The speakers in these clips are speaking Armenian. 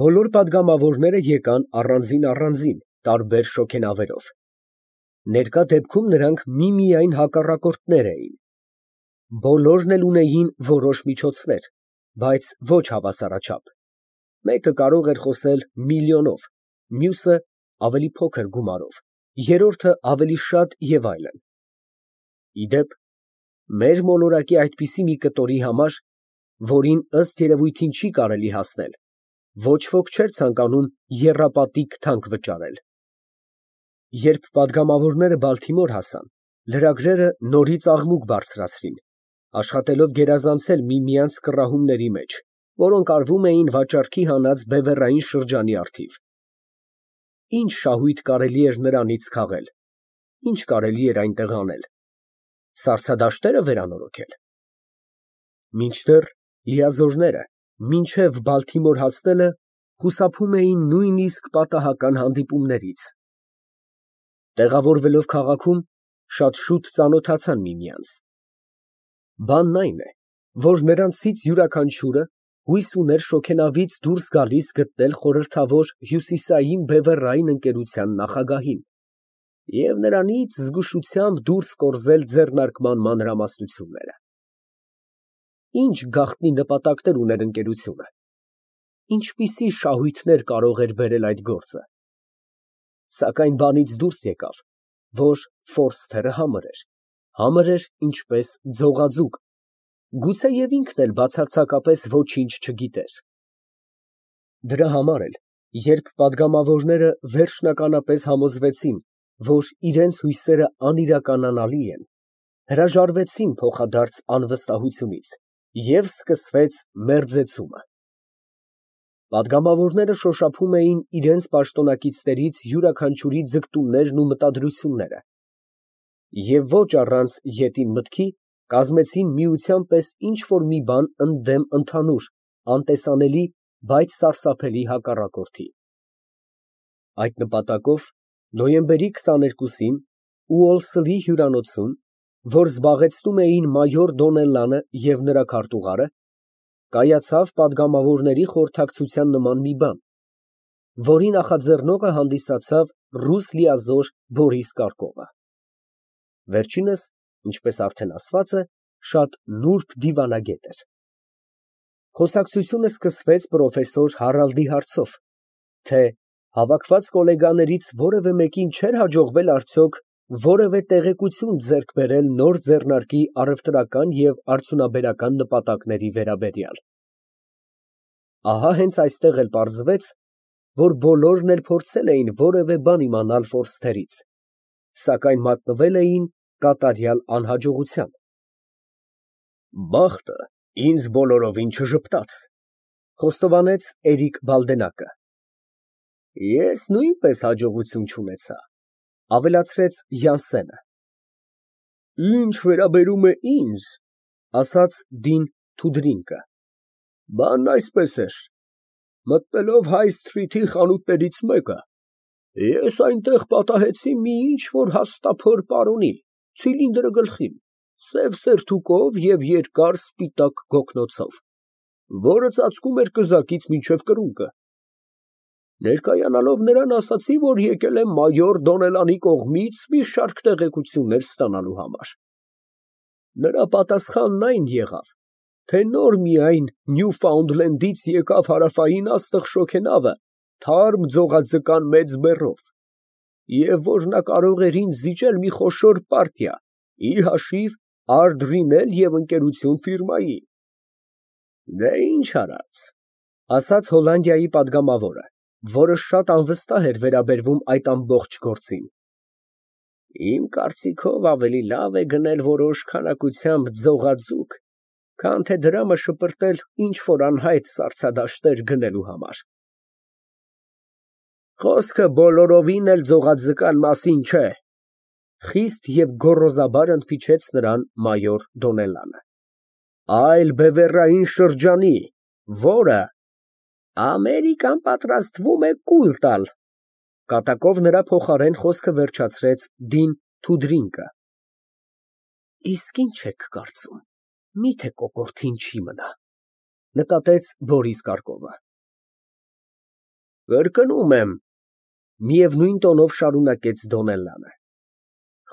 Բոլոր պատգամավորները եկան առանձին, տարբեր շոգենավերով։ Ներկա դեպքում նրանք միմիայն հակառակորդներ էին։ Բոլորն էլ ունեին որոշ միջոցներ, բայց ոչ հավասարաչափ։ Մեկը կարող էր խոսել միլիոնով, մյուսը ավելի փոքր գումարով, երրորդը ավելի շատ և այլն։ Ի դեպ, մեր մոլորակի այդպիսի մի կտորի համար, որին ըստ երևույթին չի կարելի հասնել, ոչ ոք չէր ցանկանում եռապատիկ թանկ վճարել։ Երբ պատգամավորները Բալթիմոր հասան, լրագրերը նորից աղմուկ բարձրացրին, աշխատելով գերազանցել միմյանց կռահումների մեջ, որոնք արվում էին վաճառքի հանած բևեռային շրջանի առթիվ։ Ինչ շահույթ կարելի էր նրանից քաղել, ինչ կարելի էր այնտեղ անել, սառցադաշտե՞րը վերանորոգել։ Մինչդեռ լիազորները մինչև Բալթիմոր հասնելը խուսափում էին նույնիսկ պատահական հանդիպումներից։ Տեղավորվելով քաղաքում, շատ շուտ ծանոթացան միմյանց։ Բանն այն է, որ նրանցից յուրաքանչյուրը հույս ուներ շոգենավից դուրս գալիս գտնել խորհրդավոր հյուսիսային բևեռային ընկերության նախագահին և նրանից զգուշությամբ դուրս կորզել ձեռնարկման մանրամասնությունները։ Ինչ գաղտնի նպատակներ ուներ ընկերությունը, ինչպիսի շահույթներ կարող էր բերել այդ գործը։ Սակայն բանից դուրս եկավ, որ Ֆորսթերը համր էր ինչպես ձողաձուկ, գուցեև ինքն էլ բացարձակապես ոչինչ չգիտեր։ Դրա համար էլ, երբ պատգամավորները վերջնականապես համոզվեցին, որ իրենց հույսերը անիրականանալի են, հրաժարվեցին փոխադարձ անվստահությունից և սկսվեց մերձեցումը։ Պատգամավորները շոշափում էին իրենց պաշտոնակիցներից յուրաքանչյուրի ձգտումներն ու մտադրությունները և ոչ առանց ետին մտքի կազմեցին միության պես ինչ֊որ մի բան ընդդեմ ընդհանուր, անտեսանելի, բայց սարսափելի հակառակորդի։ Այդ նպատակով նոյեմբերի 22-ին Ուոլսլի հյուրանոցում, որ զբաղեցնում էին մայոր Դոնելլանը և նրա քարտուղարը, կայացավ պատգամավորների խորհրդակցության նման մի բան, որի նախաձեռնողը հանդիսացավ ռուս լիազոր Բորիս Կարկովը։ Վերջինս, ինչպես արդեն ասված է, շատ նուրբ դիվանագետ էր։ Խոսակցությունը սկսվեց պրոֆեսոր Հարալդի հարցով, թե հավաքված գոլեգաներից որևէ մեկին չէր հաջողվել արդյոք որևէ տեղեկություն ձեռք բերել նոր ձեռնարկի առևտրական և արդյունաբերական նպատակների վերաբերյալ։ Ահա հենց այստեղ էլ պարզվեց, որ բոլորն էլ փորձել էին որևէ բան իմանալ Ֆորսթերից, սակայն մատնվել էին կատարյալ անհաջողության։ «Բախտը ինձ բոլորովին չժպտաց», ֊ խոստովանեց Էրիկ Բալդենակը։ «Ես նույնպես հաջողություն չունեցա», ֊ ավելացրեց Յանսենը։ «Ինչ վերաբերում է ինձ, ֊ ասաց Դին Թուդրինկը, ֊ բանն այսպես էր. մտնելով Հայ սթրիթի խանութներից մեկը, ես այնտեղ պատահեցի մի ինչ֊որ հաստափոր պարոնի, ցիլինդրը գլխին, սև սերթուկով և երկար սպիտակ գոգնոցով, որը ծածկում էր կզակից մինչև կրունկը։ Ներկայանալով նրան, ասացի, որ եկել եմ մայոր Դոնելանի կողմից մի շարք տեղեկություններ ստանալու համար։ Նրա պատասխանն այն եղավ, թե նոր միայն Նյուֆաունդլենդից եկավ հարավային աստղ շոգենավը թարմ ձողաձկան մեծ բեռով, և որ նա կարող էր ինձ զիջել մի խոշոր պարտիա, ի հաշիվ Ard Riնել և ընկերություն ֆիրմայի։ Դե ինչ արած, ֊ ասաց Հոլանդիայի պատգամավորը, որը շատ անվստահ էր վերաբերվում այդ ամբողջ գործին։ Իմ կարծիքով ավելի լավ է գնել որոշ քանակությամբ ձողաձուկ, քան թե դրամը շպրտել ինչ֊որ անհայտ սառցադաշտեր գնելու համար։ Խոսքը բոլորովին էլ ձողաձկան մասին չէ, ֊ խիստ և գոռոզաբար ընդմիջեց նրան մայոր Դոնելլանը, ֊ այլ բևեռային շրջանի, որը Ամերիկան պատրաստվում է կուլ տալ, ֊ կատակով նրա փոխարեն խոսքը վերջացրեց Դին Թուդրինկը։ Իսկ ի՞նչ եք կարծում, միթե կոկորդին չի մնա, ֊ նկատեց Բորիս Կարկովը։ Կրկնում եմ, միևնույն տոնով շարունակեց Դոնելլանը,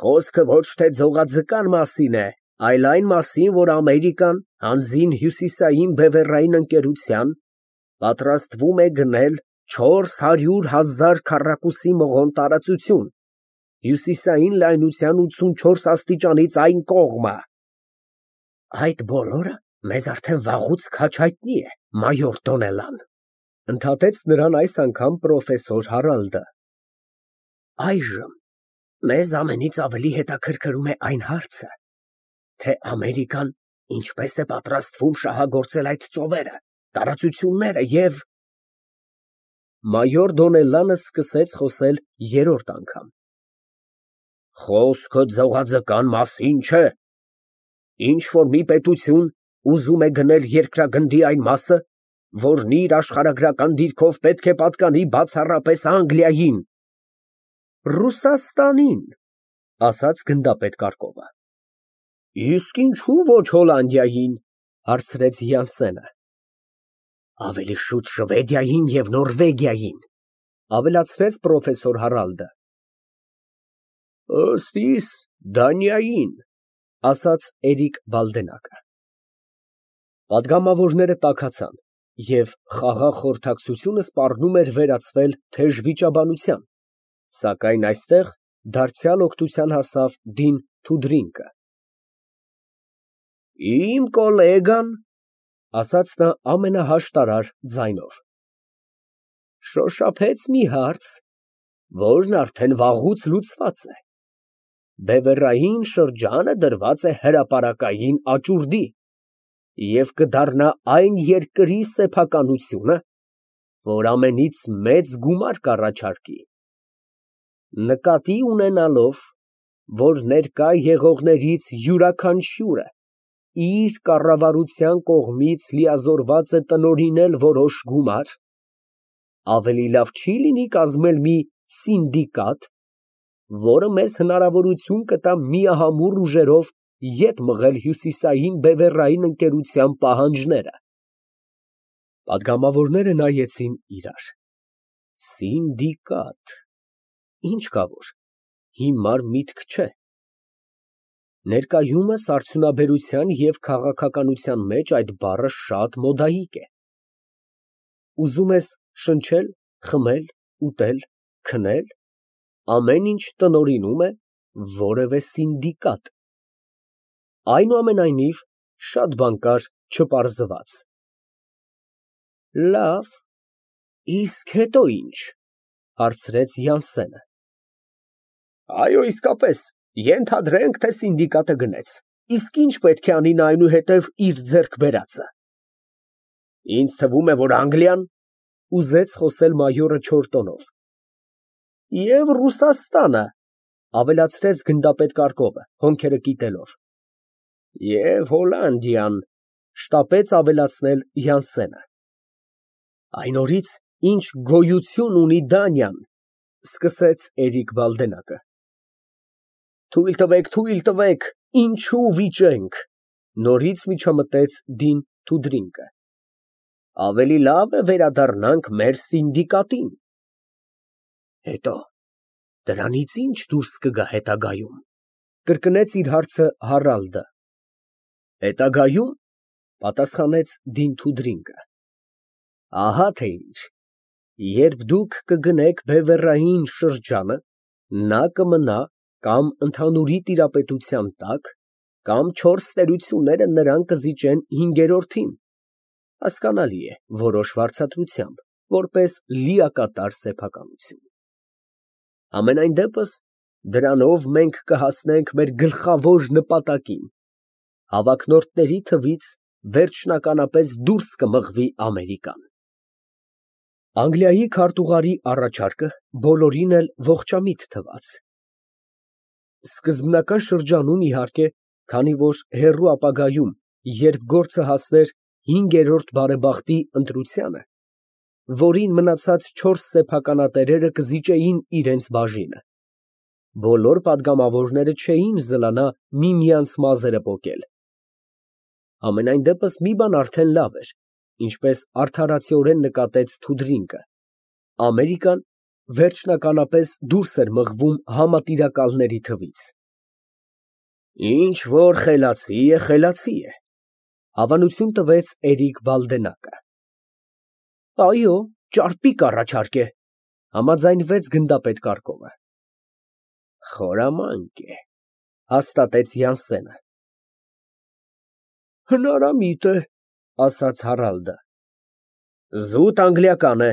խոսքը ոչ թե ձողաձկան մասին է, այլ այն մասին, որ Ամերիկան հանձին հյուսիսային բևեռային ընկերության պատրաստվում է գնել 400,000 քառակուսի մղոն տարածություն, հյուսիսային լայնության 84 աստիճանից այն կողմը։ Այդ բոլորը մեզ արդեն վաղուց քաջ հայտնի է, մայոր Դոնելլան, ընդհատեց նրան այս անգամ պրոֆեսոր Հարալդը։ Այժմ մեզ ամենից ավելի հետաքրքրում է այն հարցը, թե Ամերիկան ինչպես է պատրաստվում շահագործել այդ ծովերը, տարածությունները և… Մայոր Դոնելլանը սկսեց խոսել երրորդ անգամ։ Խոսքը ձողաձկան մասին չէ։ Ինչ որ մի պետություն ուզում է գնել երկրագնդի այն մասը, որն իր աշխարհագրական դիրքով պետք է պատկանի բացառապես Անգլիային։ Ռուսաստանին, ասաց գնդապետ Կարկովը։ Իսկ ինչու ոչ Հոլանդիային, հարցրեց Յանսենը։ Ավելի շուտ Շվեդիային և Նորվեգիային, ավելացրեց պրոֆեսոր Հարալդը։ Ըստ իս Դանիային, ասաց Էրիկ Բալդենակը։ Պատգամավորները տաքացան, և խաղաղ խորհրդակցությունը սպառնում էր վերածվել թեժ վիճաբանության, սակայն այստեղ դարձյալ օգնության հասավ Դին Թուդրինկը։ Իմ կոլեգան, ասաց նա ամենահաշտարար ձայնով, շոշափեց մի հարց, որն արդեն վաղուց լուծված է։ Բևեռային շրջանը դրված է հրապարակային աճուրդի և կդառնա այն երկրի սեփականությունը, որ ամենից մեծ գումար կառաջարկի, նկատի ունենալով, որ ներկա եղողներից յուրաքանչյուրը իր կառավարության կողմից լիազորված է տնօրինել որոշ գումար, ավելի լավ չի լինի կազմել մի սինդիկատ, որը մեզ հնարավորություն կտա միահամուռ ուժերով ետ մղել հյուսիսային բևեռային ընկերության պահանջները։ Պատգամավորները նայեցին իրար։ Սինդիկատ, ինչ կա որ, հիմար միտք չէ։ Ներկայումս արդյունաբերության և քաղաքականության մեջ այդ բառը շատ մոդայիկ է։ Ուզում ես շնչել, խմել, ուտել, քնել, ամեն ինչ տնօրինում է որևէ սինդիկատ։ Այնուամենայնիվ, շատ բան կար չպարզված։ Լավ, իսկ հետո ինչ, հարցրեց Յանսենը։ Այո, իսկապես, ենթադրենք, թե սինդիկատը գնեց, իսկ ինչ պետք է անի նա այնուհետև իր ձեռք բերածը։ Ինձ թվում է, որ Անգլիան, ուզեց խոսել մայորը չոր տոնով։ Եվ Ռուսաստանը, ավելացրեց գնդապետ Կարկովը, հոնքերը կիտելով։ Եվ Հոլանդիան, շտապեց ավելացնել Յանսենը։ Այն օրից, ինչ գոյություն ունի Դանիան, սկսեց Էրիկ Բալդենակը։ Թույլ տվեք, ինչու վիճենք, նորից միջամտեց Դին Թուդրինկը։ Ավելի լավ է վերադառնանք մեր սինդիկատին։ Հետո, դրանից ինչ դուրս կգա հետագայում, կրկնեց իր հարցը Հարալդը։ Հետագայում, պատասխանեց Դին Թուդրինկը, ահա թե ինչ, երբ դուք կգնեք բևեռային շրջանը, նա կմնա կամ ընդհանուրի տիրապետության տակ, կամ չորս տերությունները նրան կզիջեն հինգերորդին, հասկանալի է, որոշ վարձատրությամբ, որպես լիակատար սեփականություն։ Համենայն դեպս, դրանով մենք կհասնենք մեր գլխավոր նպատակին, հավակնորդների թվից վերջնականապես դուրս կմղվի Ամերիկան։ Անգլիայի քարտուղարի առաջարկը բոլորին էլ ողջամիտ թվաց։ Սկզբնական շրջանում, իհարկե, քանի որ հեռու ապագայում, երբ գործը հասներ հինգերորդ բարեբախտի ընտրությանը, որին մնացած չորս սեփականատերերը կզիջեին իրենց բաժինը, բոլոր պատգամավորները չէին զլանա միմյանց մազերը պոկել։ Համենայն դեպս մի բան արդեն լավ էր, ինչպես արդարացիորեն նկատեց Թուդրինկը, Ամերիկան վերջնականապես դուրս էր մղվում համատիրակալների թվից։ Ինչ որ խելացի է, խելացի է, հավանություն տվեց Էրիկ Բալդենակը։ Այո, ճարպիկ առաջարկ է, համաձայնվեց գնդապետ Կարկովը։ Խորամանկ է, հաստատեց Յանսենը։ Հնարամիտ է, ասաց Հարալդը։ Զուտ անգլիական է,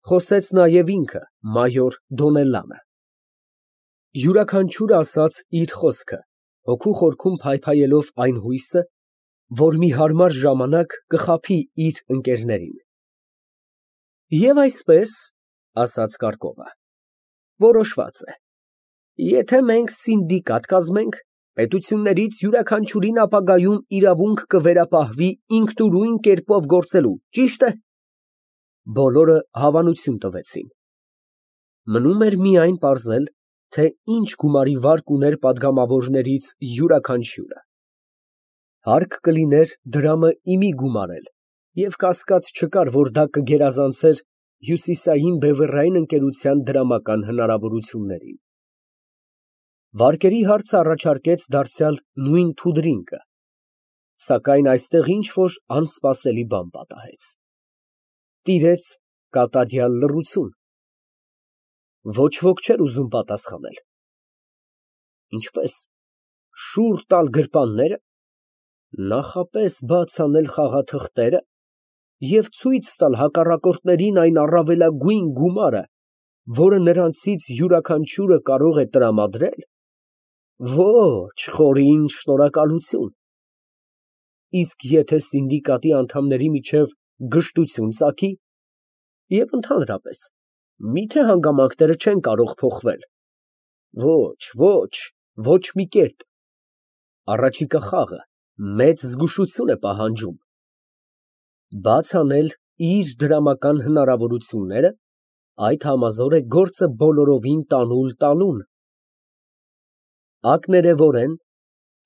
խոսեց նաև ինքը, մայոր Դոնելլանը։ Յուրաքանչյուրը ասաց իր խոսքը, հոգու խորքում փայփայելով այն հույսը, որ մի հարմար ժամանակ կխաբի իր ընկերներին։ Եվ այսպես, ասաց Կարկովը, որոշված է, եթե մենք սինդիկատ կազմենք, պետություններից յուրաքանչյուրին ապագայում իրավունք կվերապահվի ինքնուրույն կերպով գործելու, ճի՞շտ է։ Բոլորը հավանություն տվեցին։ Մնում էր միայն պարզել, թե ինչ գումարի վարկ ուներ պատգամավորներից յուրաքանչյուրը։ Հարկ կլիներ դրամը իմի գումարել, և կասկած չկար, որ դա կգերազանցեր հյուսիսային բևեռային ընկերության դրամական հնարավորություններին։ Վարկերի հարցը առաջարկեց դարձյալ նույն Թուդրինկը, սակայն այստեղ ինչ֊որ անսպասելի բան պատահեց։ Տիրեց կատարյալ լռություն։ Ոչ ոք չէր ուզում պատասխանել։ Ինչպե՞ս, շուռ տալ գրպաննե՞րը, նախապես բաց անել խաղաթղթերը և ցույց տալ հակառակորդներին այն առավելագույն գումարը, որը նրանցից յուրաքանչյուրը կարող է տրամադրել։ Ոչ, խորին շնորհակալություն։ Իսկ եթե սինդիկատի անդամների միջև գժտություն ծագի, և ընդհանրապես, միթե հանգամանքները չեն կարող փոխվել։ Ոչ, ոչ մի կերպ։ Առաջիկա խաղը մեծ զգուշություն է պահանջում։ Բաց անել իր դրամական հնարավորությունները, այդ համազոր է գործը բոլորովին տանուլ տալուն։ Ակներևորեն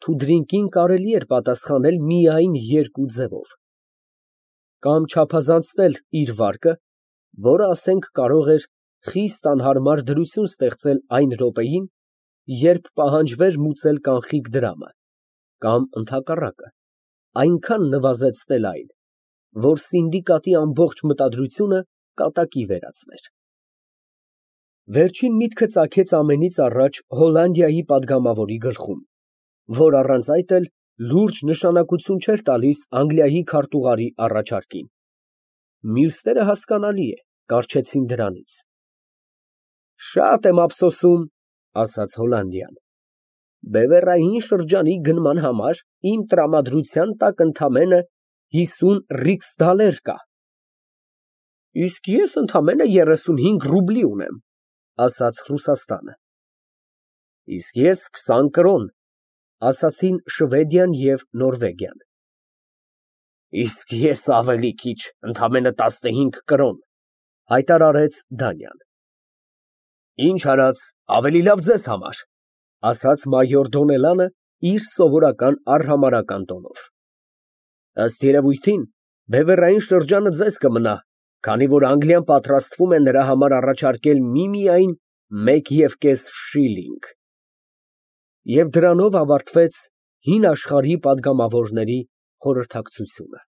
Թուդրինկին կարելի էր պատասխանել միայն երկու ձևով. կամ չափազանցնել իր վարկը, որը, ասենք, կարող էր խիստ անհարմար դրություն ստեղծել այն րոպեին, երբ պահանջվեր մուծել կանխիկ դրամը, կամ ընդհակառակը, այնքան նվազեցնել այն, որ սինդիկատի ամբողջ մտադրությունը կատակի վերածվեր։ Վերջին միտքը ծագեց ամենից առաջ Հոլանդիայի պատգամավորի գլխում, որ առանց այդ էլ լուրջ նշանակություն չէր տալիս Անգլիայի քարտուղարի առաջարկին։ Մյուսները, հասկանալի է, կառչեցին դրանից։ Շատ եմ ափսոսում, ասաց Հոլանդյան, բևեռային շրջանի գնման համար իմ տրամադրության տակ ընդամենը 50 ռիքսդալեր կա։ Իսկ ես ընդամենը 35 ռուբլի ունեմ, ասաց Ռուսաստանը։ Իսկ ես 20 կրոն, ասացին Շվեդիան և Նորվեգիան։ Իսկ ես ավելի քիչ, ընդամենը 15 կրոն, հայտարարեց Դանիան։ Ինչ արած, ավելի լավ ձեզ համար, ասաց մայոր Դոնելանը իր սովորական արհամարհական տոնով։ Ըստ երևույթին, բևեռային շրջանը ձեզ կմնա, քանի որ Անգլիան պատրաստվում է նրա համար առաջարկել միմիայն 1.5 շիլինգ։ Եվ դրանով ավարտվեց հին աշխարհի պատգամավորների խորհրդակցությունը։